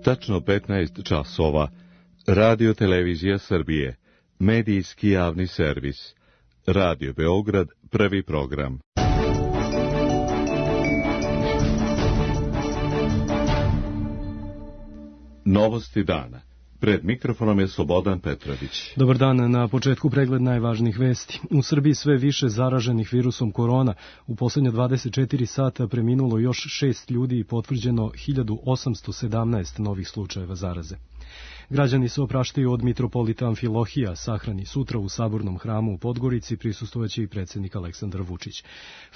Tačno 15 časova. Radio Televizija Srbije. Medijski javni servis. Radio Beograd, prvi program. Novosti dana. Pred mikrofonom je Slobodan Petrović. Dobar dan, na početku pregled najvažnijih vesti. U Srbiji sve više zaraženih virusom korona. U posljednja 24 sata preminulo još 6 ljudi i potvrđeno 1817 novih slučajeva zaraze. Građani se opraštaju od mitropolita Amfilohija, sahrani sutra u Sabornom hramu u Podgorici, prisustvovaće i predsjednik Aleksandar Vučić.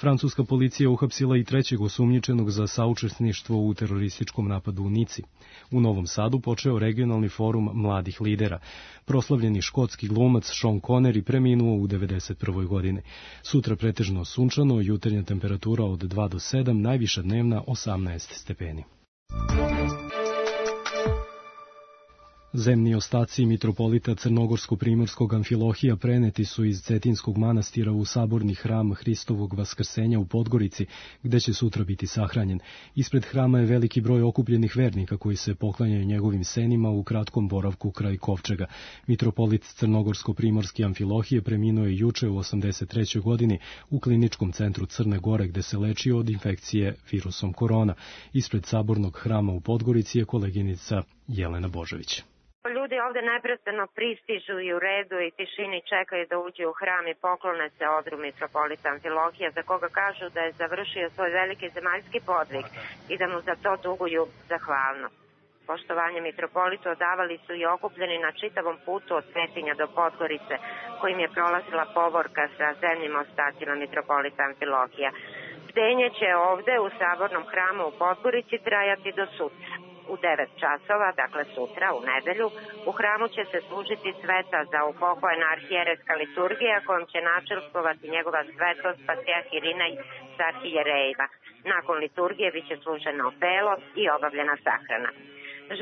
Francuska policija uhapsila i trećeg osumnjičenog za saučesništvo u terorističkom napadu u Nici. U Novom Sadu počeo regionalni forum mladih lidera. Proslavljeni škotski glumac Sean Connery preminuo u 91. godini. Sutra pretežno sunčano, jutarnja temperatura od 2 do 7, najviša dnevna 18 stepeni. Zemni ostaci mitropolita Crnogorsko-primorskog Amfilohija preneti su iz Cetinskog manastira u saborni hram Hristovog Vaskrsenja u Podgorici, gde će sutra biti sahranjen. Ispred hrama je veliki broj okupljenih vernika koji se poklanjaju njegovim senima u kratkom boravku kraj kovčega. Mitropolit Crnogorsko-primorski Amfilohije preminuo je juče u 83. godini u kliničkom centru Crne Gore, gde se lečio od infekcije virusom korona. Ispred sabornog hrama u Podgorici je koleginica Jelena Božović. Ljudi ovde neprestano pristižu i u redu i tišini čekaju da uđu u hram i poklone se odru mitropolita Amfilohija, za koga kažu da je završio svoj veliki zemaljski podvig i da mu za to duguju zahvalnost. Poštovanje mitropolitu odavali su i okupljeni na čitavom putu od Cetinja do Podgorice, kojim je prolazila povorka sa zemljim ostacima mitropolita Amfilohija. Bdenje će ovde u Sabornom hramu u Podgorici trajati do sutra. U 9 časova, dakle sutra, u nedelju, u hramu će se služiti sveta za upokojena arhijerejska liturgija kojom će načelstvovati njegova svetost Patrijarh Irinej sa arhijerejima. Nakon liturgije biće služeno opelo i obavljena sahrana.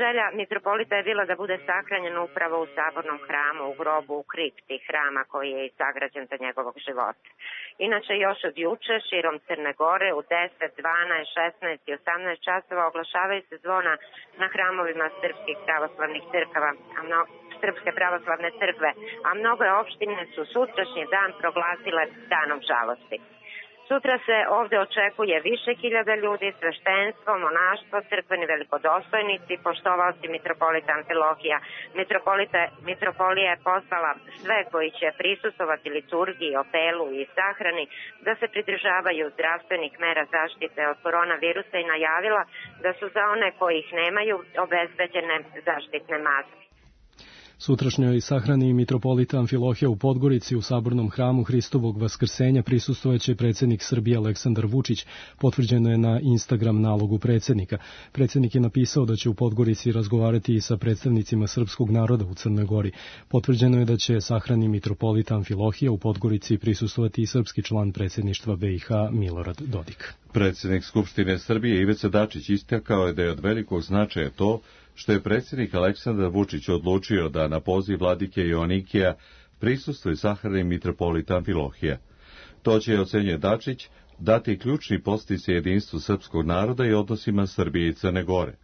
Želja mitropolita je bila da bude sahranjen upravo u Sabornom hramu, u grobu u kripti hrama koji je sagrađen za njegovog života. Inače, još od juče, širom Crne Gore, u 10, 12, 16 i 18 časova oglašavaju se zvona na hramovima srpskih pravoslavnih crkava, Srpske pravoslavne crkve, a mnoge opštine su sutrašnji dan proglasile danom žalosti. Sutra se ovde očekuje više hiljada ljudi, sveštenstvo, monaštvo, crkveni velikodostojnici, poštovaoci mitropolita Amfilohija. Mitropolija je pozvala sve koji će prisustvovati liturgiji, opelu i sahrani da se pridržavaju zdravstvenih mera zaštite od koronavirusa i najavila da su za one koji ih nemaju obezbeđene zaštitne maske. Sutrašnjoj sahrani mitropolita Amfilohija u Podgorici u Sabornom hramu Hristovog Vaskrsenja prisustvovaće predsjednik Srbije Aleksandar Vučić, potvrđeno je na Instagram nalogu predsjednika. Predsjednik je napisao da će u Podgorici razgovarati i sa predstavnicima srpskog naroda u Crnoj Gori. Potvrđeno je da će sahrani mitropolita Amfilohija u Podgorici prisustvovati i srpski član predsjedništva BiH Milorad Dodik. Predsjednik Skupštine Srbije Ivica Dačić istakao je da je od velikog značaja to što je predsjednik Aleksandar Vučić odlučio da na poziv vladike Joanikija prisustvuje sahrani mitropolita Amfilohija. To će, ocenjuje Dačić, dati ključni podsticaj jedinstvu srpskog naroda i odnosima Srbije i Crne Gore.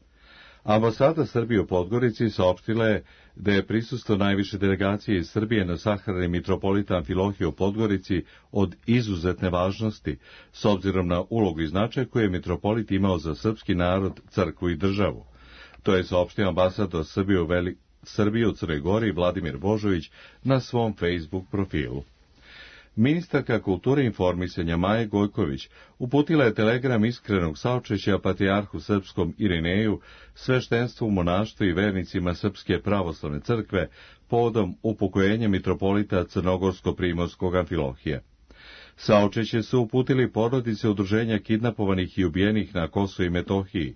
Ambasada Srbije u Podgorici saopštila je da je prisustvo najviše delegacije iz Srbije na sahrani mitropolita Amfilohija u Podgorici od izuzetne važnosti, s obzirom na ulogu i značaj koju je mitropolit imao za srpski narod, crkvu i državu. To je saopštio ambasador Srbije u Crnoj Gori Vladimir Božović na svom Facebook profilu. Ministarka kulture i informisanja Maja Gojković uputila je telegram iskrenog saučešća patrijarhu srpskom Irineju, sveštenstvu, monaštvu i vernicima Srpske pravoslavne crkve povodom upokojenja mitropolita Crnogorsko-primorskog Amfilohija. Saučešće su uputili porodice udruženja kidnapovanih i ubijenih na Kosovu i Metohiji.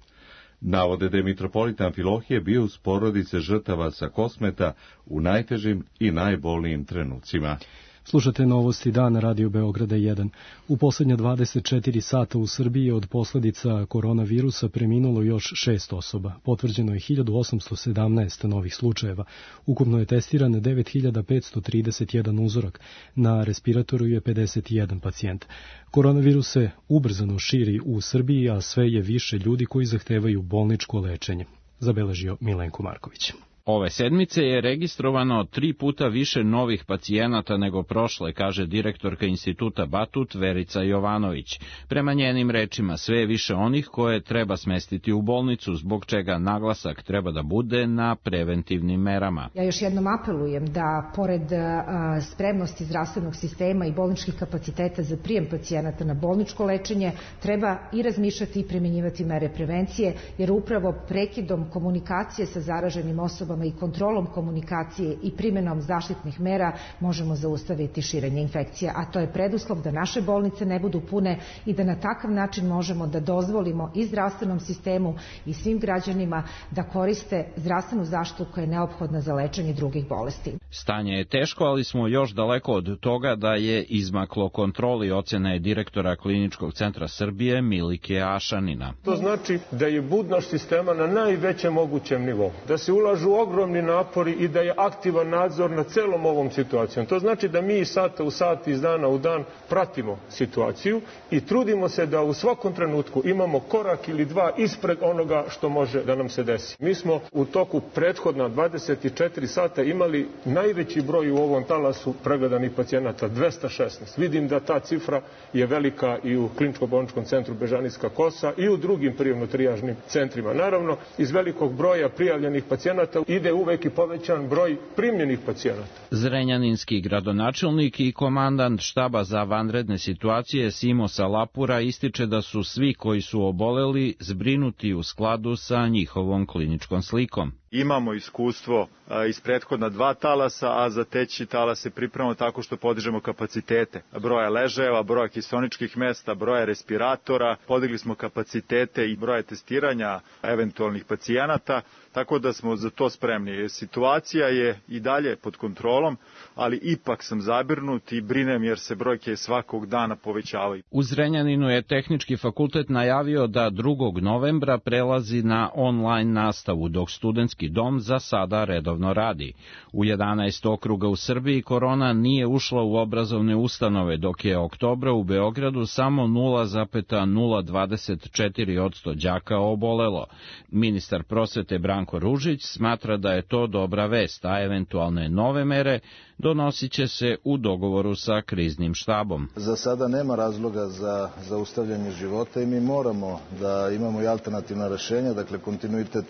Navode da je mitropolita Amfilohije bio uz porodice žrtava sa Kosmeta u najtežim i najbolnijim trenucima. Slušate novosti dana Radio Beograda 1. U posljednja 24 sata u Srbiji od posljedica koronavirusa preminulo još 6 osoba. Potvrđeno je 1817 novih slučajeva. Ukupno je testiran 9531 uzorak. Na respiratoru je 51 pacijent. Koronavirus se ubrzano širi u Srbiji, a sve je više ljudi koji zahtevaju bolničko lečenje. zabeležio Milenko Marković. Ove sedmice je registrovano 3 puta više novih pacijenata nego prošle, kaže direktorka Instituta Batut Verica Jovanović. Prema njenim rečima, sve je više onih koje treba smestiti u bolnicu, zbog čega naglasak treba da bude na preventivnim merama. Ja još jednom apelujem da, pored spremnosti zdravstvenog sistema i bolničkih kapaciteta za prijem pacijenata na bolničko lečenje, treba i razmišljati i primjenjivati mere prevencije, jer upravo prekidom komunikacije sa zaraženim osobama i kontrolom komunikacije i primjenom zaštitnih mera možemo zaustaviti širenje infekcija, a to je preduslov da naše bolnice ne budu pune i da na takav način možemo da dozvolimo i zdravstvenom sistemu i svim građanima da koriste zdravstvenu zaštitu koja je neophodna za lečenje drugih bolesti. Stanje je teško, ali smo još daleko od toga da je izmaklo kontroli, ocena je direktora Kliničkog centra Srbije Milike Ašanina. To znači da je budnost sistema na najvećem mogućem nivou, da se ulažu ogromni napori i da je aktivan nadzor nad celom ovom situacijom. To znači da mi iz sata u sat, iz dana u dan pratimo situaciju i trudimo se da u svakom trenutku imamo korak ili dva ispred onoga što može da nam se desi. Mi smo u toku prethodna 24 sata imali najveći broj u ovom talasu pregledanih pacijenata, 216. Vidim da ta cifra je velika i u Kliničko-bolničkom centru Bežanijska Kosa i u drugim prijemno-trijažnim centrima. Naravno, iz velikog broja prijavljenih pacijenata ide uvek i povećan broj primljenih pacijenata. Zrenjaninski gradonačelnik i komandant štaba za vanredne situacije Simo Salapura ističe da su svi koji su oboleli zbrinuti u skladu sa njihovom kliničkom slikom. Imamo iskustvo iz prethodna 2 talasa, a za treći talas se pripremamo tako što podižemo kapacitete broja ležajeva, broja kiseoničkih mesta, broja respiratora, podigli smo kapacitete i broja testiranja eventualnih pacijenata, tako da smo za to spremni. Situacija je i dalje pod kontrolom, ali ipak sam zabrinut i brinem jer se brojke svakog dana povećavaju. U Zrenjaninu je Tehnički fakultet najavio da 2. novembra prelazi na online nastavu, dok studentski dom za sada redovno radi. U 11 okruga u Srbiji korona nije ušla u obrazovne ustanove, dok je oktobra u Beogradu samo 0,024% đaka obolelo. Ministar prosvete Branko Ružić smatra da je to dobra vest, a eventualne nove mere donosit će se u dogovoru sa kriznim štabom. Za sada nema razloga za zaustavljanje života i mi moramo da imamo i alternativna rešenja, dakle kontinuitet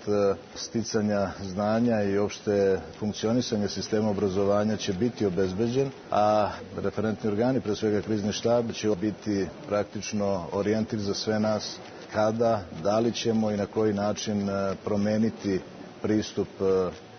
sticanja znanja i opšte funkcionisanje sistema obrazovanja će biti obezbeđen, a referentni organi, pre svega krizni štab, će biti praktično orijentir za sve nas kada, da li ćemo i na koji način promeniti pristup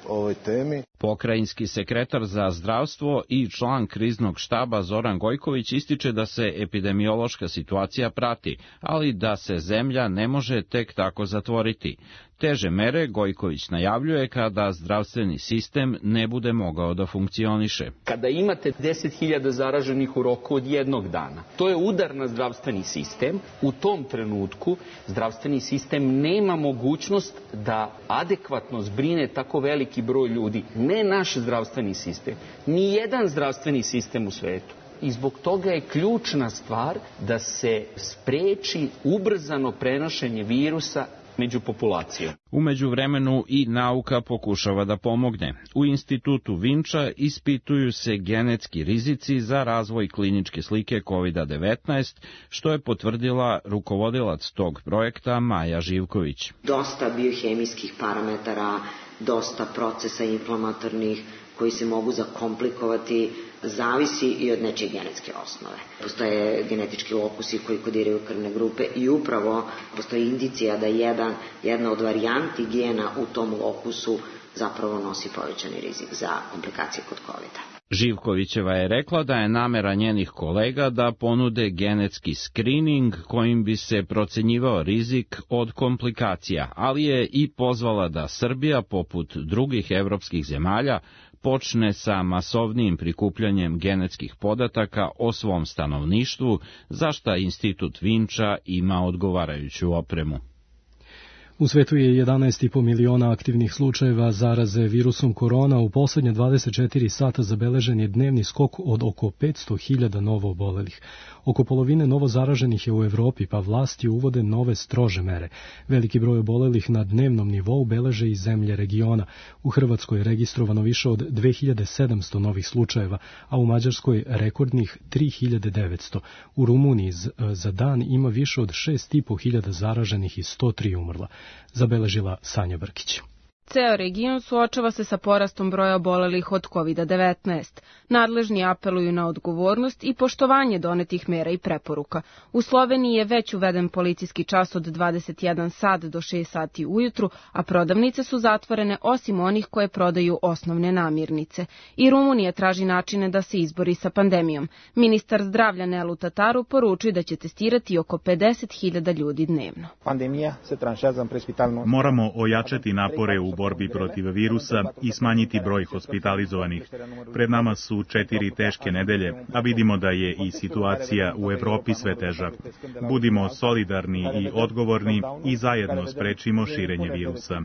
ovoj temi. Pokrajinski sekretar za zdravstvo i član kriznog štaba Zoran Gojković ističe da se epidemiološka situacija prati, ali da se zemlja ne može tek tako zatvoriti. Teže mere Gojković najavljuje kada zdravstveni sistem ne bude mogao da funkcioniše. Kada imate 10.000 zaraženih u roku od 1 dana, to je udar na zdravstveni sistem. U tom trenutku zdravstveni sistem nema mogućnost da adekvatno zbrine tako veliki broj ljudi. Ne naš zdravstveni sistem, ni jedan zdravstveni sistem u svetu. I zbog toga je ključna stvar da se spreči ubrzano prenošenje virusa među populacijom. U međuvremenu i nauka pokušava da pomogne. U institutu Vinča ispituju se genetski rizici za razvoj kliničke slike COVID-19, što je potvrdila rukovodilac tog projekta Maja Živković. Dosta biohemijskih parametara, dosta procesa inflamatornih koji se mogu zakomplikovati, zavisi i od nečije genetske osnove. Postoje genetički lokusi koji kodiraju krvne grupe i upravo postoji indicija da jedna od varijanti gena u tom lokusu zapravo nosi povećani rizik za komplikacije kod COVID-a. Živkovićeva je rekla da je namera njenih kolega da ponude genetski skrining kojim bi se procenjivao rizik od komplikacija, ali je i pozvala da Srbija, poput drugih evropskih zemalja, počne sa masovnijim prikupljanjem genetskih podataka o svom stanovništvu, za šta Institut Vinča ima odgovarajuću opremu. U svetu je 11,5 miliona aktivnih slučajeva zaraze virusom korona. U poslednje 24 sata zabeležen je dnevni skok od oko 500.000 novo obolelih. Oko polovine novo zaraženih je u Evropi, pa vlasti uvode nove strože mere. Veliki broj obolelih na dnevnom nivou beleže i zemlje regiona. U Hrvatskoj je registrovano više od 2700 novih slučajeva, a u Mađarskoj rekordnih 3900. U Rumuniji za dan ima više od 6.500 zaraženih i 103 umrla, zabeležila Sanja Brkić. Ceo region suočava se sa porastom broja obolelih od COVID-19. Nadležni apeluju na odgovornost i poštovanje donetih mera i preporuka. U Sloveniji je već uveden policijski čas od 21 sat do 6 sati ujutru, a prodavnice su zatvorene osim onih koje prodaju osnovne namirnice. I Rumunija traži načine da se izbori sa pandemijom. Ministar zdravlja Nelu Tataru poručuje da će testirati oko 50.000 ljudi dnevno. Moramo ojačati napore u borbi protiv virusa i smanjiti broj hospitalizovanih. Pred nama su 4 teške nedelje, a vidimo da je i situacija u Evropi sve teža. Budimo solidarni i odgovorni i zajedno sprečimo širenje virusa.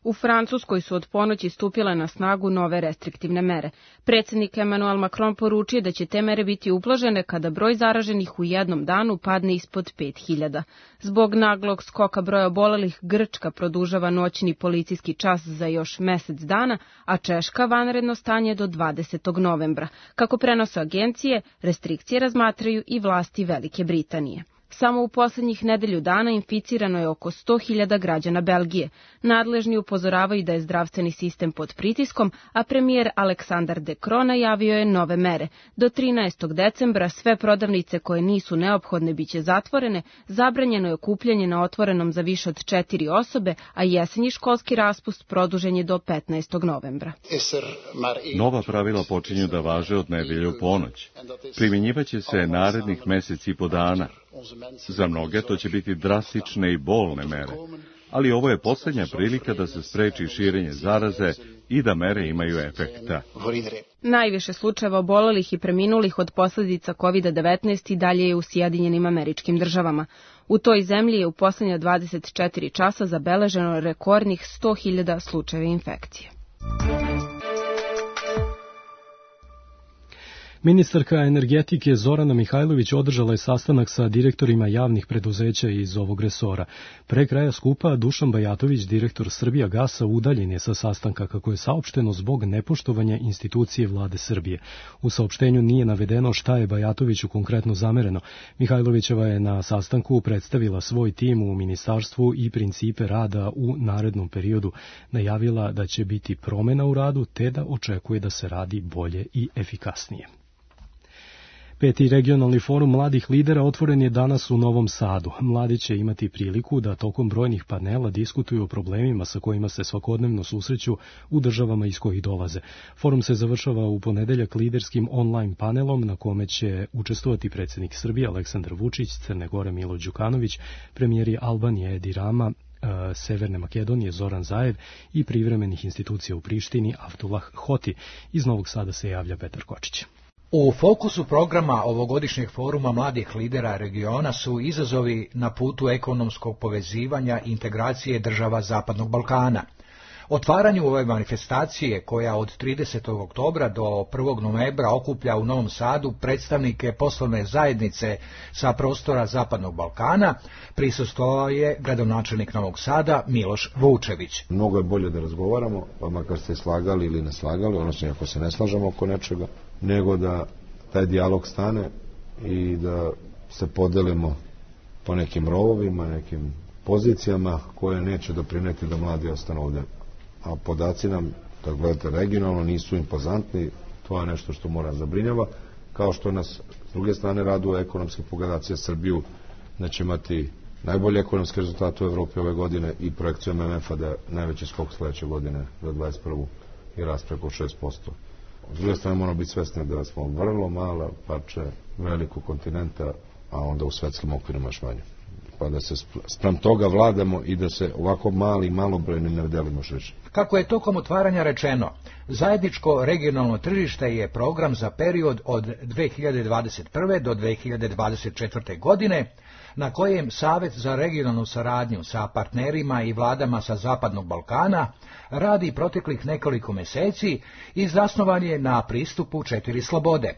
U Francuskoj su od ponoći stupile na snagu nove restriktivne mere. Predsjednik Emmanuel Macron poručio da će te mere biti ublažene kada broj zaraženih u jednom danu padne ispod 5.000. Zbog naglog skoka broja obolelih, Grčka produžava noćni policijski čas za još mesec dana, a Češka vanredno stanje do 20. novembra. Kako prenose agencije, restrikcije razmatraju i vlasti Velike Britanije. Samo u poslednjih nedelju dana inficirano je oko 100.000 građana Belgije. Nadležni upozoravaju da je zdravstveni sistem pod pritiskom, a premijer Aleksandar De Croo najavio je nove mere. Do 13. decembra sve prodavnice koje nisu neophodne biće zatvorene, zabranjeno je okupljanje na otvorenom za više od 4 osobe, a jesenji školski raspust produžen je do 15. novembra. Nova pravila počinju da važe od nedelje u ponoć. Primjenjivaće se narednih mesec i po dana. Za mnoge to će biti drastične i bolne mere, ali ovo je posljednja prilika da se spreči širenje zaraze i da mere imaju efekta. Najviše slučajeva obolelih i preminulih od posljedica COVID-19 i dalje je u Sjedinjenim Američkim Državama. U toj zemlji je u posljednja 24 časa zabeleženo rekordnih 100.000 slučajeva infekcije. Ministarka energetike Zorana Mihajlović održala je sastanak sa direktorima javnih preduzeća iz ovog resora. Pre kraja skupa Dušan Bajatović, direktor Srbijagasa, udaljen je sa sastanka, kako je saopšteno, zbog nepoštovanja institucije vlade Srbije. U saopštenju nije navedeno šta je Bajatoviću konkretno zamereno. Mihajlovićeva je na sastanku predstavila svoj tim u ministarstvu i principe rada u narednom periodu. Najavila da će biti promena u radu, te da očekuje da se radi bolje i efikasnije. 5. regionalni forum mladih lidera otvoren je danas u Novom Sadu. Mladi će imati priliku da tokom brojnih panela diskutuju o problemima sa kojima se svakodnevno susreću u državama iz kojih dolaze. Forum se završava u ponedeljak liderskim online panelom na kome će učestvovati predsjednik Srbije Aleksandar Vučić, Crne Gore Milo Đukanović, premijeri Albanije Edi Rama, Severne Makedonije Zoran Zaev i privremenih institucija u Prištini Avdullah Hoti. Iz Novog Sada se javlja Petar Kočić. U fokusu programa ovogodišnjeg foruma mladih lidera regiona su izazovi na putu ekonomskog povezivanja i integracije država Zapadnog Balkana. Otvaranju ove manifestacije, koja od 30. oktobra do 1. novembra okuplja u Novom Sadu predstavnike poslovne zajednice sa prostora Zapadnog Balkana, prisustvovao je gradonačelnik Novog Sada Miloš Vučević. Mnogo je bolje da razgovaramo, pa makar se slagali ili ne slagali, odnosno ako se ne slažemo oko nečega, nego da taj dijalog stane i da se podelimo po nekim rovovima, nekim pozicijama koje neće doprineti da mladi ostanu ovde. A podaci nam, da gledate regionalno, nisu impozantni, to je nešto što mora zabrinjava, kao što nas s druge strane raduje ekonomske pogledacije Srbiju, da će imati najbolje ekonomske rezultate u Evropi ove godine i projekcija MMF-a da je najveći skok sledeće godine za 21. i rast preko 6%. S druge strane moramo biti svesni da smo vrlo mala parče velikog kontinenta, a onda u svetskim okvirima još manje. pa da se spram toga vladamo i da se ovako malobrojnim ne delimo šeće. Kako je tokom otvaranja rečeno, zajedničko regionalno tržište je program za period od 2021. do 2024. godine, na kojem Savet za regionalnu saradnju sa partnerima i vladama sa Zapadnog Balkana radi proteklih nekoliko meseci i zasnovan je na pristupu 4 slobode.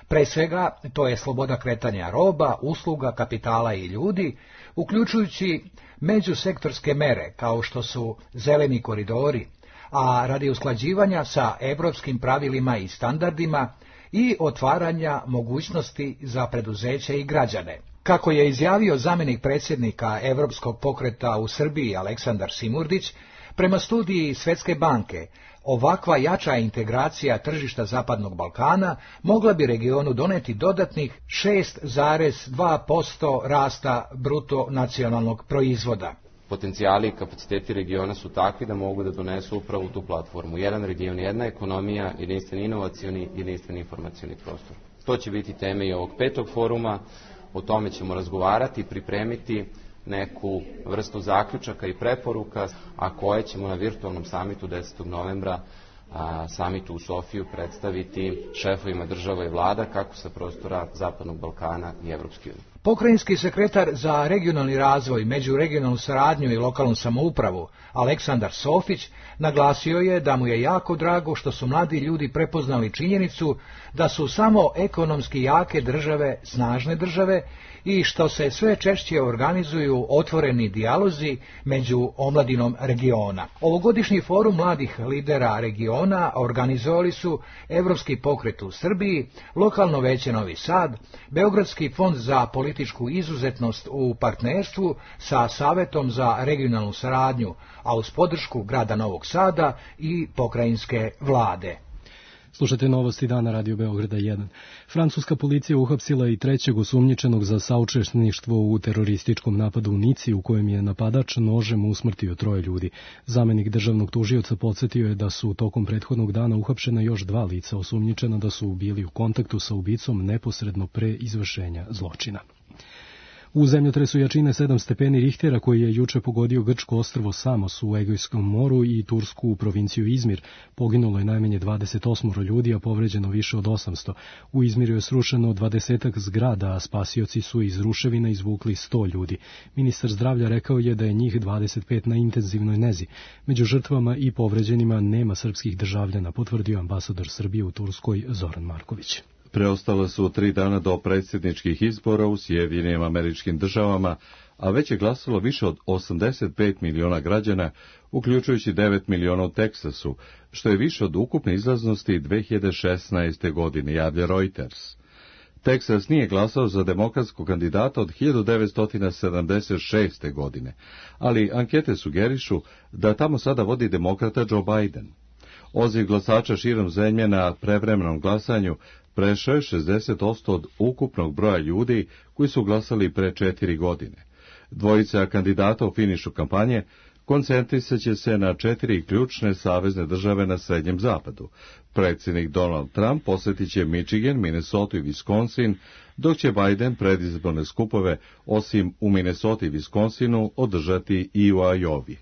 Pre svega, to je sloboda kretanja roba, usluga, kapitala i ljudi, uključujući međusektorske mere kao što su zeleni koridori, a radi usklađivanja sa evropskim pravilima i standardima i otvaranja mogućnosti za preduzeće i građane. Kako je izjavio zamjenik predsjednika Evropskog pokreta u Srbiji Aleksandar Simurdić, prema studiji Svetske banke, ovakva jača integracija tržišta Zapadnog Balkana mogla bi regionu doneti dodatnih 6,2% rasta bruto nacionalnog proizvoda. Potencijali i kapaciteti regiona su takvi da mogu da donesu upravo tu platformu. Jedan region, jedna ekonomija, jedinstveni inovacioni, jedinstveni informacioni prostor. To će biti teme i ovog 5. foruma, o tome ćemo razgovarati, pripremiti neku vrstu zaključaka i preporuka, a koje ćemo na virtualnom samitu 10. novembra, samitu u Sofiju, predstaviti šefovima država i vlada kako sa prostora Zapadnog Balkana i Evropske unije. Pokrajinski sekretar za regionalni razvoj, međuregionalnu saradnju i lokalnu samoupravu, Aleksandar Sofić, naglasio je da mu je jako drago što su mladi ljudi prepoznali činjenicu da su samo ekonomski jake države snažne države i što se sve češće organizuju otvoreni dijalozi među omladinom regiona. Ovogodišnji forum mladih lidera regiona organizovali su Evropski pokret u Srbiji, Lokalno veće Novi Sad, Beogradski fond za političku izuzetnost u partnerstvu sa Savetom za regionalnu saradnju, a uz podršku grada Novog Sada i pokrajinske vlade. Slušajte novosti dana Radio Beograda 1. Francuska policija uhapsila i 3. osumnjičenog za saučesništvo u terorističkom napadu u Nici, u kojem je napadač nožem usmrtio 3 ljudi. Zamenik državnog tužioca podsjetio je da su tokom prethodnog dana uhapšena još 2 lica osumnjičena da su bili u kontaktu sa ubicom neposredno pre izvršenja zločina. U zemljotresu jačine 7 stepeni Richtera koji je juče pogodio grčko ostrvo Samos u Egejskom moru i tursku provinciju Izmir, poginulo je najmanje 28 ljudi, a povređeno više od 800. U Izmiru je srušeno 20 zgrada, a spasioci su iz ruševina izvukli 100 ljudi. Ministar zdravlja rekao je da je njih 25 na intenzivnoj nezi. Među žrtvama i povređenima nema srpskih državljana, potvrdio ambasador Srbije u Turskoj Zoran Marković. Preostalo su 3 dana do predsjedničkih izbora u Sjedinjenim Američkim Državama, a već je glasalo više od 85 miliona građana, uključujući 9 miliona u Teksasu, što je više od ukupne izlaznosti 2016. godine, javlja Reuters. Teksas nije glasao za demokratskog kandidata od 1976. godine, ali ankete sugerišu da tamo sada vodi demokrata Joe Biden. Odziv glasača širom zemlje na prevremenom glasanju prešao je 60% od ukupnog broja ljudi koji su glasali pre 4 godine. Dvojica kandidata u finišu kampanje koncentrisat će se na 4 ključne savezne države na Srednjem zapadu. Predsjednik Donald Trump posjetit će Michigan, Minnesota i Wisconsin, dok će Biden predizborne skupove, osim u Minnesota i Wisconsinu, održati i u Iowi.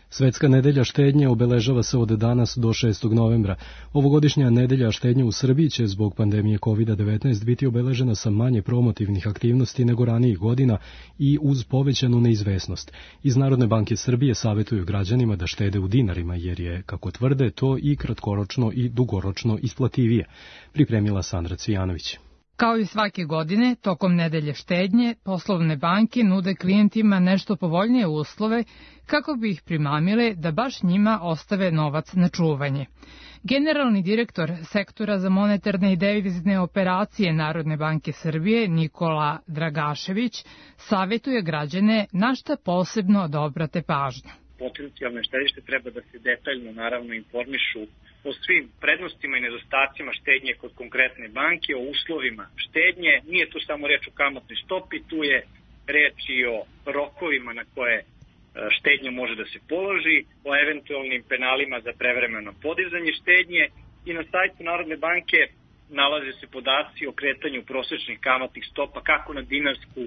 Svetska nedelja štednje obeležava se od danas do 6. novembra. Ovogodišnja nedelja štednje u Srbiji će zbog pandemije COVID-19 biti obeležena sa manje promotivnih aktivnosti nego ranijih godina i uz povećanu neizvesnost. Iz Narodne banke Srbije savjetuju građanima da štede u dinarima, jer je, kako tvrde, to i kratkoročno i dugoročno isplativije. Pripremila Sandra Cvijanović. Kao i svake godine, tokom nedelje štednje, poslovne banke nude klijentima nešto povoljnije uslove kako bi ih primamile da baš njima ostave novac na čuvanje. Generalni direktor sektora za monetarne i devizne operacije Narodne banke Srbije, Nikola Dragašević, savjetuje građane na šta posebno da obrate pažnju. Potencijalne štedište treba da se detaljno naravno informišu o svim prednostima i nedostacima štednje kod konkretne banke, o uslovima štednje. Nije tu samo reč o kamatnoj stopi, tu je reč i o rokovima na koje štednja može da se položi, o eventualnim penalima za prevremeno podizanje štednje i na sajtu Narodne banke nalaze se podaci o kretanju prosečnih kamatnih stopa kako na dinarsku,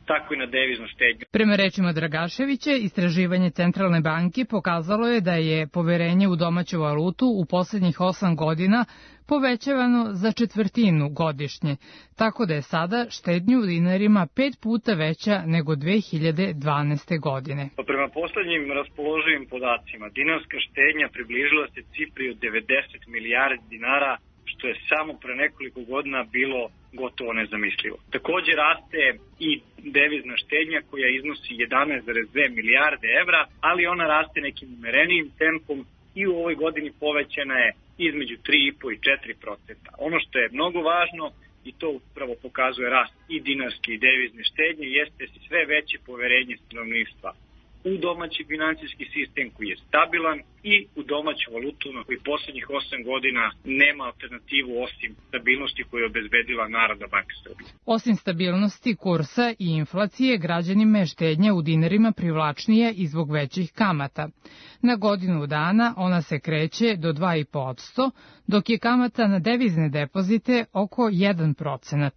tako i na deviznu štednju. Prema rečima Dragaševića, istraživanje Centralne banke pokazalo je da je poverenje u domaću valutu u poslednjih 8 godina povećavano za četvrtinu godišnje, tako da je sada štednja u dinarima 5 puta veća nego 2012. godine. Prema poslednjim raspoloživim podacima, dinarska štednja približila se cifri od 90 milijardi dinara, što je samo pre nekoliko godina bilo gotovo nezamislivo. Takođe raste i devizna štednja koja iznosi 11,2 milijarde evra, ali ona raste nekim umerenijim tempom i u ovoj godini povećana je između 3,5 i 4%. Ono što je mnogo važno, i to upravo pokazuje rast i dinarske i devizne štednje, jeste sve veće poverenje stanovništva u domaći finansijski sistem koji je stabilan i u domaću valutu na koji poslednjih 8 godina nema alternativu osim stabilnosti koju je obezbedila Narodna banka Srbije. Osim stabilnosti kursa i inflacije, građanima je štednja u dinarima privlačnija i zbog većih kamata. Na godinu dana ona se kreće do 2,5%, dok je kamata na devizne depozite oko 1%.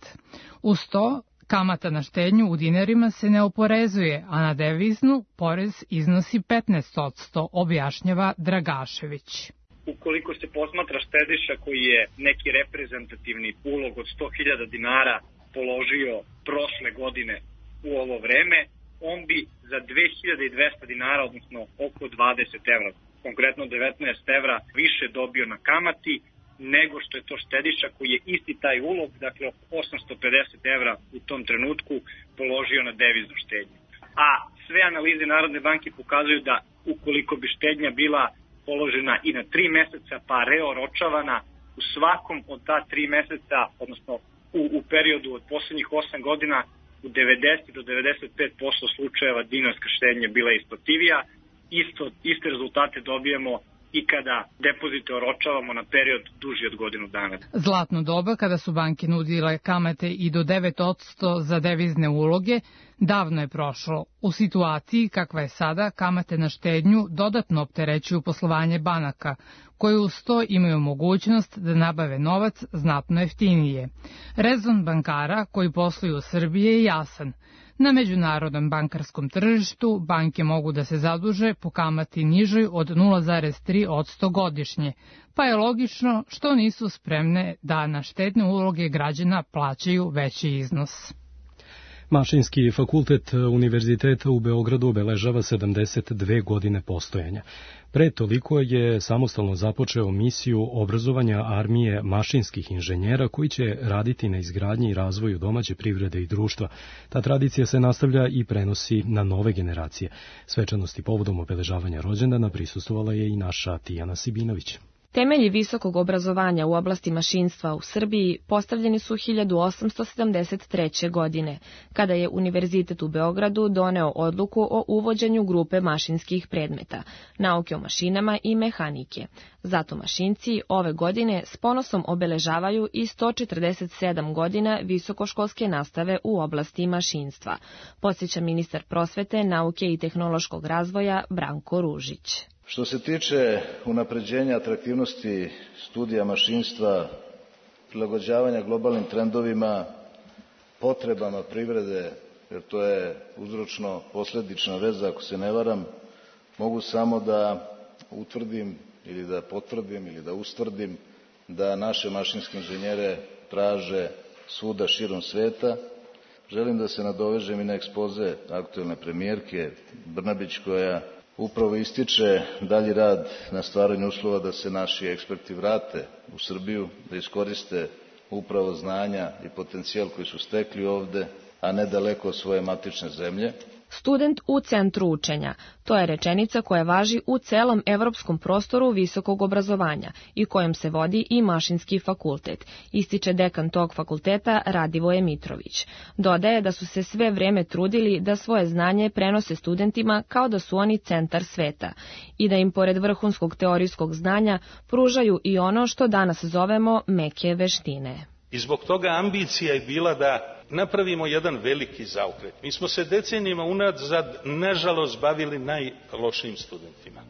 Uz to, kamata na štednju u dinarima se ne oporezuje, a na deviznu porez iznosi 15%, objašnjava Dragašević. Ukoliko se posmatra štediša koji je neki reprezentativni ulog od 100.000 dinara položio prošle godine u ovo vreme, on bi za 2.200 dinara, odnosno oko 20 evra, konkretno 19 evra, više dobio na kamati nego što je to štediša koji je isti taj ulog, dakle 850 evra u tom trenutku položio na deviznu štednju. A sve analize Narodne banke pokazuju da ukoliko bi štednja bila položena i na 3 meseca pa reoročavana, u svakom od ta 3 meseca, odnosno u periodu od poslednjih 8 godina, u 90 do 95% slučajeva dinarska štednja bila isplativija. Iste rezultate dobijemo i kada depozite oročavamo na period duži od godinu dana. Zlatno doba, kada su banke nudile kamate i do 9% za devizne uloge, davno je prošlo. U situaciji kakva je sada, kamate na štednju dodatno opterećuju poslovanje banaka, koje uz to imaju mogućnost da nabave novac znatno jeftinije. Rezon bankara koji posluju u Srbiji je jasan. Na međunarodnom bankarskom tržištu banke mogu da se zaduže po kamati nižoj od 0,3% godišnje, pa je logično što nisu spremne da na štedne uloge građana plaćaju veći iznos. Mašinski fakultet Univerziteta u Beogradu obeležava 72 godine postojanja. Pre toliko je samostalno započeo misiju obrazovanja armije mašinskih inženjera koji će raditi na izgradnji i razvoju domaće privrede i društva. Ta tradicija se nastavlja i prenosi na nove generacije. Svečanosti povodom obeležavanja rođendana prisustvovala je i naša Tijana Sibinović. Temelji visokog obrazovanja u oblasti mašinstva u Srbiji postavljeni su 1873. godine, kada je Univerzitet u Beogradu doneo odluku o uvođenju grupe mašinskih predmeta, nauke o mašinama i mehanike. Zato mašinci ove godine s ponosom obeležavaju i 147 godina visokoškolske nastave u oblasti mašinstva, podsjeća ministar prosvete, nauke i tehnološkog razvoja Branko Ružić. Što se tiče unapređenja atraktivnosti studija mašinstva, prilagođavanja globalnim trendovima, potrebama privrede, jer to je uzročno-posledična veza, ako se ne varam, mogu samo da utvrdim ili da potvrdim ili da ustvrdim da naše mašinske inženjere traže svuda širom sveta. Želim da se nadovežem i na ekspoze aktuelne premijerke Brnabić, koja upravo ističe dalji rad na stvaranju uslova da se naši eksperti vrate u Srbiju, da iskoriste upravo znanja i potencijal koji su stekli ovde, a ne daleko od svoje matične zemlje. Student u centru učenja. To je rečenica koja važi u celom evropskom prostoru visokog obrazovanja i kojom se vodi i Mašinski fakultet, ističe dekan tog fakulteta Radivoje Mitrović. Dodaje da su se sve vreme trudili da svoje znanje prenose studentima kao da su oni centar sveta i da im pored vrhunskog teorijskog znanja pružaju i ono što danas zovemo meke veštine. I zbog toga ambicija je bila da napravimo jedan veliki zaokret. Mi smo se decenijima unazad, nažalost, bavili najlošijim studentima.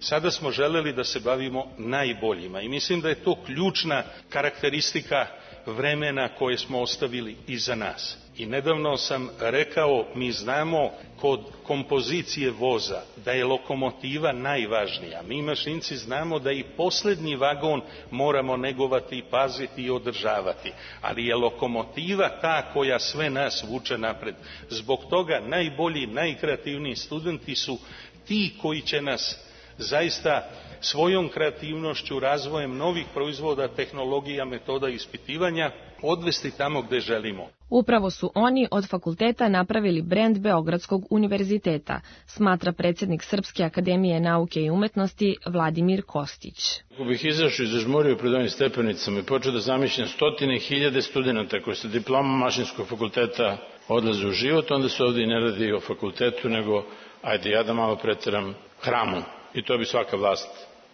Sada smo želeli da se bavimo najboljima i mislim da je to ključna karakteristika vremena koje smo ostavili iza nas. I nedavno sam rekao, mi znamo kod kompozicije voza da je lokomotiva najvažnija. Mi mašinci znamo da i poslednji vagon moramo negovati, paziti i održavati. Ali je lokomotiva ta koja sve nas vuče napred. Zbog toga najbolji, najkreativniji studenti su ti koji će nas zaista svojom kreativnošću, razvojem novih proizvoda, tehnologija, metoda ispitivanja odvesti tamo gde želimo. Upravo su oni od fakulteta napravili brend Beogradskog univerziteta, smatra predsjednik Srpske akademije nauke i umetnosti Vladimir Kostić. Ako bih izašao i zažmurio pred ovim stepenicama i počeo da zamišljam stotine hiljade studenta koji sa diplomom mašinskog fakulteta odlaze u život, onda se ovdje i ne radi o fakultetu, nego, ajde ja da malo preteram, hramu. I to bi svaka vlast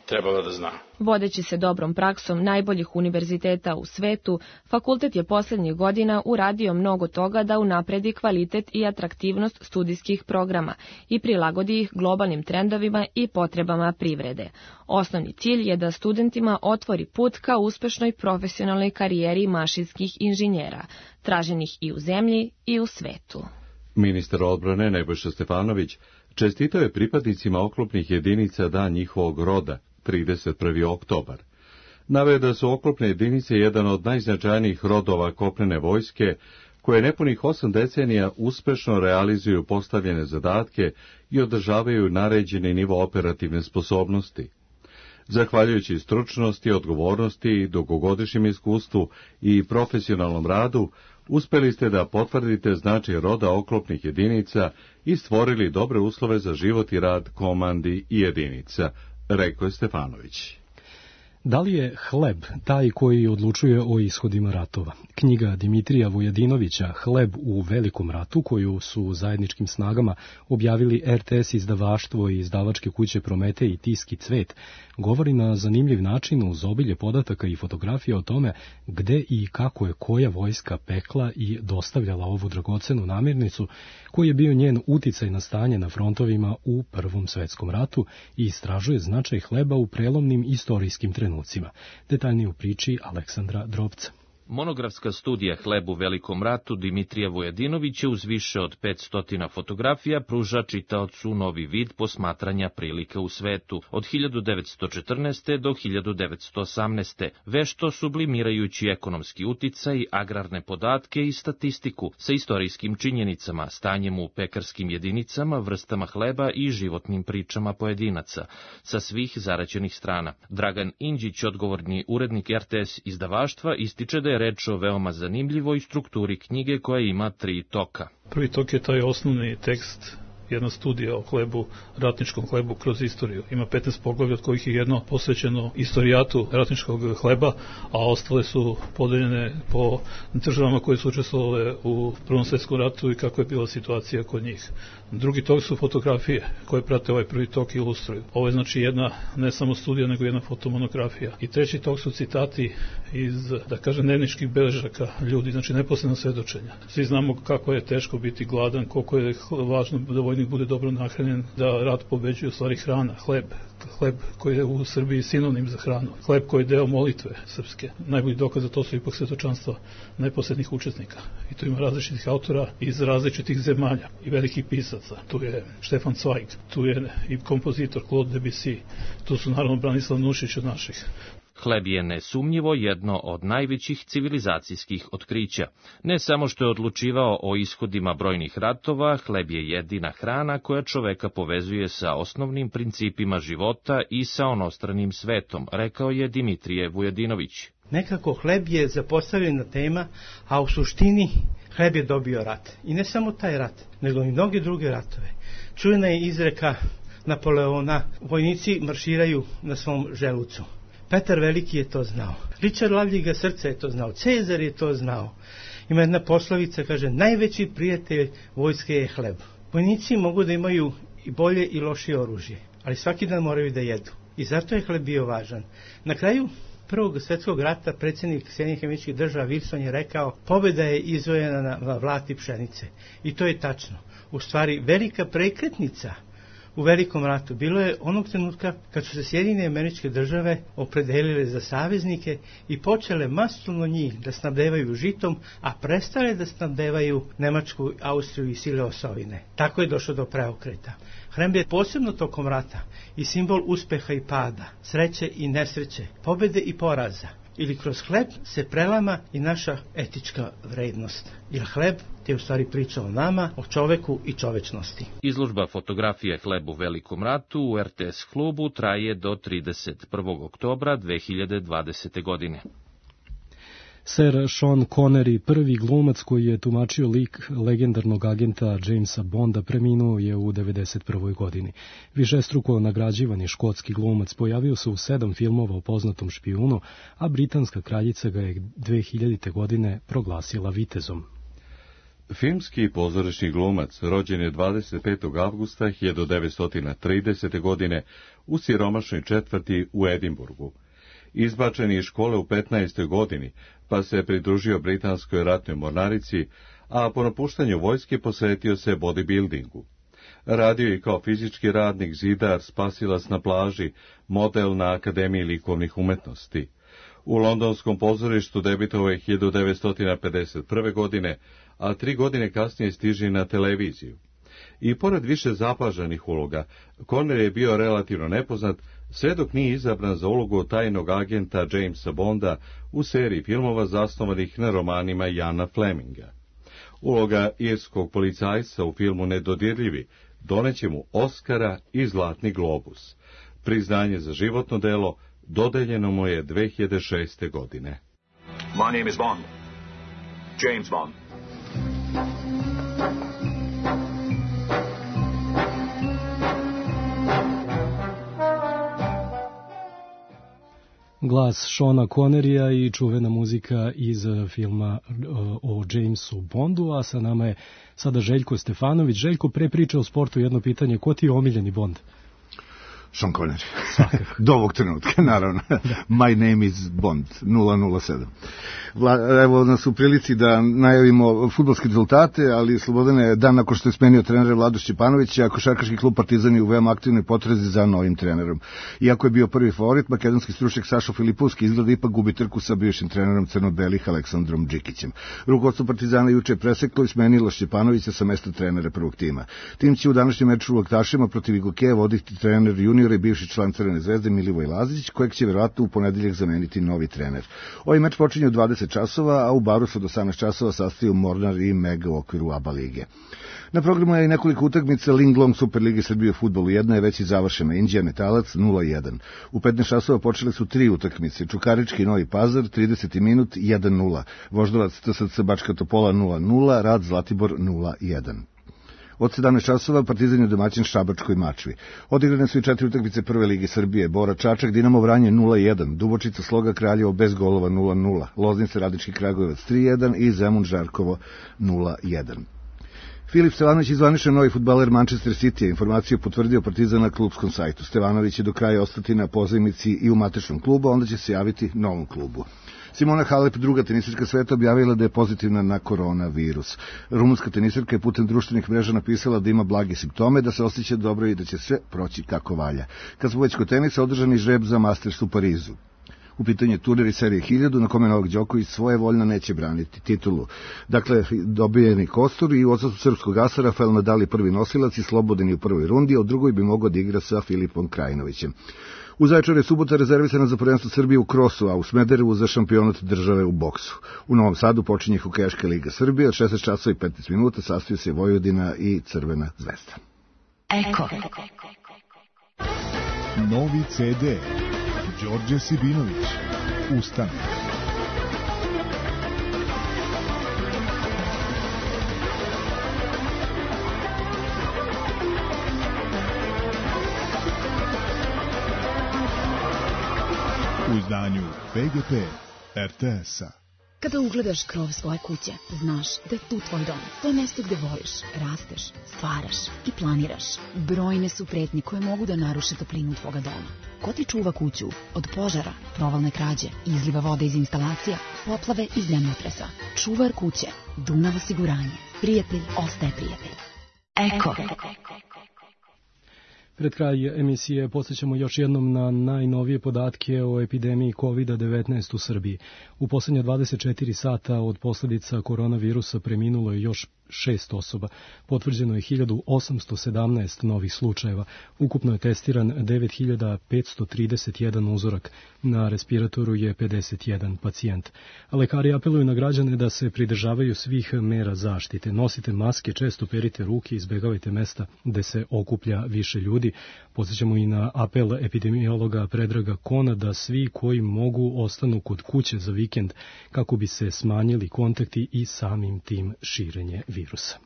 trebala da zna. Vodeći se dobrom praksom najboljih univerziteta u svetu, fakultet je posljednjih godina uradio mnogo toga da unapredi kvalitet i atraktivnost studijskih programa i prilagodi ih globalnim trendovima i potrebama privrede. Osnovni cilj je da studentima otvori put ka uspešnoj profesionalnoj karijeri mašinskih inženjera, traženih i u zemlji i u svetu. Ministar odbrane Nebojša Stefanović čestitao je pripadnicima oklopnih jedinica dan njihovog roda, 31. oktobar. Naveo da su oklopne jedinice jedan od najznačajnijih rodova kopnene vojske, koje nepunih 8 decenija uspešno realizuju postavljene zadatke i održavaju naređeni nivo operativne sposobnosti. Zahvaljujući stručnosti, odgovornosti, dugogodišnjem iskustvu i profesionalnom radu, uspeli ste da potvrdite značaj roda oklopnih jedinica i stvorili dobre uslove za život i rad komandi i jedinica, rekao je Stefanović. Da li je hleb taj koji odlučuje o ishodima ratova? Knjiga Dimitrija Vujadinovića Hleb u Velikom ratu, koju su zajedničkim snagama objavili RTS izdavaštvo i izdavačke kuće Promete i Tiski Cvet, govori na zanimljiv način uz obilje podataka i fotografija o tome gde i kako je koja vojska pekla i dostavljala ovu dragocenu namirnicu, koji je bio njen uticaj na stanje na frontovima u Prvom svetskom ratu i istražuje značaj hleba u prelomnim istorijskim trenucima. Detaljnije u priči Aleksandra Drobca. Monografska studija Hleb u Velikom ratu Dimitrija Vujadinovića uz više od 500 fotografija pruža čitaocu novi vid posmatranja prilika u svetu od 1914. do 1918. vešto sublimirajući ekonomski uticaj, agrarne podatke i statistiku sa istorijskim činjenicama, stanjem u pekarskim jedinicama, vrstama hleba i životnim pričama pojedinaca sa svih zaraćenih strana. Dragan Inđić, odgovorni urednik RTS izdavaštva, ističe da je reč o veoma zanimljivoj strukturi knjige koja ima 3 toka. Prvi tok je taj osnovni tekst, jedna studija o hlebu, ratničkom hlebu kroz istoriju. Ima 15 poglavlja, od kojih je jedno posvećeno istorijatu ratničkog hleba, a ostale su podeljene po državama koje su učestvovale u Prvom svetskom ratu i kako je bila situacija kod njih. Drugi tok su fotografije koje prate ovaj prvi tok i ilustruju. Ovo je znači jedna ne samo studija, nego jedna fotomonografija. I treći tok su citati iz, da kažem, dnevničkih beležaka ljudi, znači neposredno svedočenja. Svi znamo kako je teško biti gladan, koliko je važno da vojnik bude dobro nahranjen, da rat pobeđuje u stvari hrana, hleb koji je u Srbiji sinonim za hranu, hleb koji je deo molitve srpske. Najbolji dokaz za to su ipak svetočanstva neposrednih učesnika. I tu ima različitih autora iz različitih zemalja i velikih pisaca. Tu je Štefan Cvajg, tu je i kompozitor Claude Debussy, tu su naravno Branislav Nušić od naših. Hleb je nesumnjivo jedno od najvećih civilizacijskih otkrića. Ne samo što je odlučivao o ishodima brojnih ratova, hleb je jedina hrana koja čoveka povezuje sa osnovnim principima života i sa onostranim svetom, rekao je Dimitrije Vujadinović. Nekako hleb je zapostavljena tema, a u suštini hleb je dobio rat. I ne samo taj rat, nego i mnoge druge ratove. Čujena je izreka Napoleona, vojnici marširaju na svom želucu. Petar Veliki je to znao. Richard Lavljiga Srce je to znao. Cezar je to znao. Ima jedna poslovica, kaže, najveći prijatelj vojske je hleb. Vojnici mogu da imaju i bolje i lošije oružje, ali svaki dan moraju da jedu. I zato je hleb bio važan. Na kraju Prvog svjetskog rata predsjednik Sjedinjenih Američkih Država Wilson je rekao, pobjeda je izvojena na Vlati pšenice. I to je tačno. U stvari velika prekretnica u Velikom ratu. Bilo je onog trenutka kad su se Sjedinjene Američke Države opredelile za saveznike i počele masovno njih da snabdevaju žitom, a prestale da snabdevaju Nemačku, Austriju i sile osovine. Tako je došlo do preokreta. Hrem je posebno tokom rata i simbol uspeha i pada, sreće i nesreće, pobede i poraza. Ili kroz hleb se prelama i naša etička vrednost. Jer hleb je u stvari priča o nama, o čoveku i čovečnosti. Izložba fotografije Hleb u Velikom ratu u RTS klubu traje do 31. oktobra 2020. godine. Sir Sean Connery, prvi glumac koji je tumačio lik legendarnog agenta Jamesa Bonda, preminuo je u 91. godini. Višestruko nagrađivani škotski glumac pojavio se u 7 filmova o poznatom špijunu, a britanska kraljica ga je 2000. godine proglasila vitezom. Filmski i pozorišni glumac rođen je 25. avgusta 1930. godine u siromašnoj četvrti u Edinburgu. Izbačen iz škole u 15. godini, pa se pridružio britanskoj ratnoj mornarici, a po napuštanju vojske posvetio se bodybuildingu. Radio je kao fizički radnik, zidar, spasilac na plaži, model na Akademiji likovnih umetnosti. U londonskom pozorištu debitovao je 1951. godine, a 3 godine kasnije stiže na televiziju. I pored više zapažanih uloga, Connery je bio relativno nepoznat, sve dok nije izabran za ulogu tajnog agenta Jamesa Bonda u seriji filmova zasnovanih na romanima Iana Fleminga. Uloga irskog policajca u filmu Nedodirljivi doneće mu Oskara i Zlatni globus. Priznanje za životno delo dodeljeno mu je 2006. godine. My name is Bond. James Bond. Glas Seana Connerya i čuvena muzika iz filma o Jamesu Bondu, a sa nama je sada Željko Stefanović. Željko, pre priče o sportu jedno pitanje, ko ti je omiljeni Bond? Sean Connery. Do ovog trenutka, naravno. My name is Bond, 007. Evo nas u prilici da najavimo fudbalske rezultate, ali Slobodane, dan nakon što je smenio trenera Vlado Šćepanovića, košarkaški klub Partizan je u veoma aktivnoj potrazi za novim trenerom. Iako je bio prvi favorit, makedonski stručnjak Sašo Filipovski izgleda ipak gubi trku sa bivšim trenerom crno-belih Aleksandrom Džikićem. Rukovodstvo Partizana juče je preseklo i smenilo Šćepanovića sa mesta trenera prvog tima. Tim će u današnjem meču u Laktašima protiv Igokeja voditi trener juniora i bivši član Crvene zvezde Milivoj Lazić, kojeg će verovatno u ponedeljak zameniti novi trener. Ovaj meč počinje u 20 časova, a u Baru se od 18 časova sastaju Mornar i Mega u okviru ABA lige. Na programu je i nekoliko utakmica Linglong Superlige Srbije u fudbalu. Jedna je već i završena, Inđija Metalac 0-1. U 15 časova počele su 3 utakmice, Čukarički Novi Pazar 30. minut 1-0, Voždovac TSC Bačka Topola 0-0, Rad Zlatibor 0-1. Od 17 časova Partizan je domaćin Šabačkoj Mačvi. Odigrane su i 4 utakmice Prve lige Srbije. Bora Čačak, Dinamo Vranje 0-1, Dubočica Sloga Kraljevo bez golova 0-0, Loznica Radnički Kragujevac 3-1 i Zemun Žarkovo 0-1. Filip Stevanović je zvaničan novi fudbaler Manchester City, informaciju potvrdio Partizan na klubskom sajtu. Stevanović će do kraja ostati na pozajmici i u matičnom klubu, onda će se javiti novom klubu. Simona Halep, druga tenisirka sveta, objavila da je pozitivna na koronavirus. Rumunska tenisirka je putem društvenih mreža napisala da ima blage simptome, da se osjeća dobro i da će sve proći kako valja. Kad smo već kod tenisa, održani žreb za Masters u Parizu. U pitanju je turnir iz serije 1000 na kome Novak Đoković svojevoljno neće braniti titulu. Dakle, dobijeni kostur i u odsustvu srpskog asa Rafael Nadal je prvi nosilac i slobodan je u prvoj rundi, a u drugoj bi mogao da igra sa Filipom Krajinovićem. U Zaječaru je subota rezervisana za prvenstvo Srbije u krosu, a u Smederevu za šampionat države u boksu. U Novom Sadu počinje Hokejaška liga Srbije, od 16 časova i 15 minuta sastaju se Vojvodina i Crvena zvezda. Eko. Novi CD. Đorđe Sibinović. Ustane. U izdanju PGP RTS-a. Kada ugledaš krov svoje kuće, znaš da je tu tvoj dom. To je mesto gde voliš, rasteš, stvaraš i planiraš. Brojne su pretnje koje mogu da naruše toplinu tvoga doma. Ko ti čuva kuću od požara, provalne krađe, izliva vode iz instalacija, poplave i zemljotresa? Čuvar kuće, Dunav osiguranje. Prijatelj ostaje prijatelj. Eko. Pred kraj emisije podsjećamo još jednom na najnovije podatke o epidemiji COVID-19 u Srbiji. U poslednja 24 sata od posljedica koronavirusa preminulo je još 6 osoba. Potvrđeno je 1817 novih slučajeva. Ukupno je testiran 9531 uzorak. Na respiratoru je 51 pacijent. Lekari apeluju na građane da se pridržavaju svih mera zaštite. Nosite maske, često perite ruke, izbegavajte mesta gde se okuplja više ljudi. Podsjećamo i na apel epidemiologa Predraga Kona da svi koji mogu ostanu kod kuće za vikend kako bi se smanjili kontakti i samim tim širenje virusa.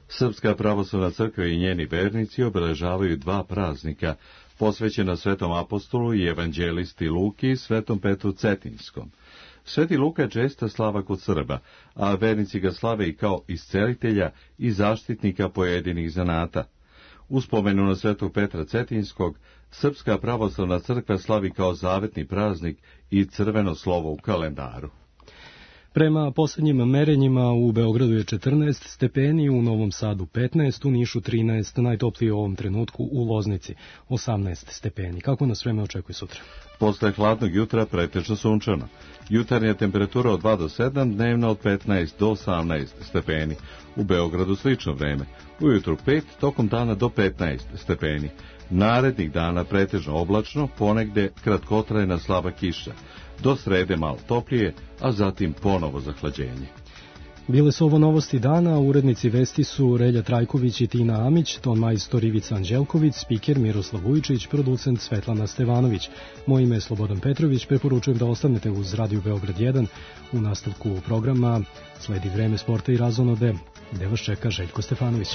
Srpska pravoslavna crkva i njeni vernici obeležavaju 2 praznika posvećena Svetom apostolu i evanđelisti Luki i Svetom Petru Cetinskom. Sveti Luka je česta slava kod Srba, a vernici ga slave i kao iscelitelja i zaštitnika pojedinih zanata. U spomenu na Svetog Petra Cetinskog, Srpska pravoslavna crkva slavi kao zavetni praznik i crveno slovo u kalendaru. Prema posljednjim merenjima u Beogradu je 14 stepeni, u Novom Sadu 15, u Nišu 13, najtoplije u ovom trenutku u Loznici 18 stepeni. Kako nas vreme očekuje sutra? Posle hladnog jutra pretečno sunčano. Jutarnja temperatura od 2 do 7, dnevna od 15 do 18 stepeni. U Beogradu slično vreme. Ujutru 5, tokom dana do 15 stepeni. Narednih dana pretežno oblačno, ponegde kratkotrajna slaba kiša. Do srede malo toplije, a zatim ponovo zahlađenje. Bile su ovo novosti dana, urednici vesti su Relja Trajković i Tina Amić, ton majstor Ivica Anđelković, spiker Miroslav Vujčić, producent Svetlana Stevanović. Moje ime je Slobodan Petrović, preporučujem da ostanete uz Radio Beograd 1. U nastavku programa sledi vreme sporta i razonode, gde vas čeka Željko Stefanović.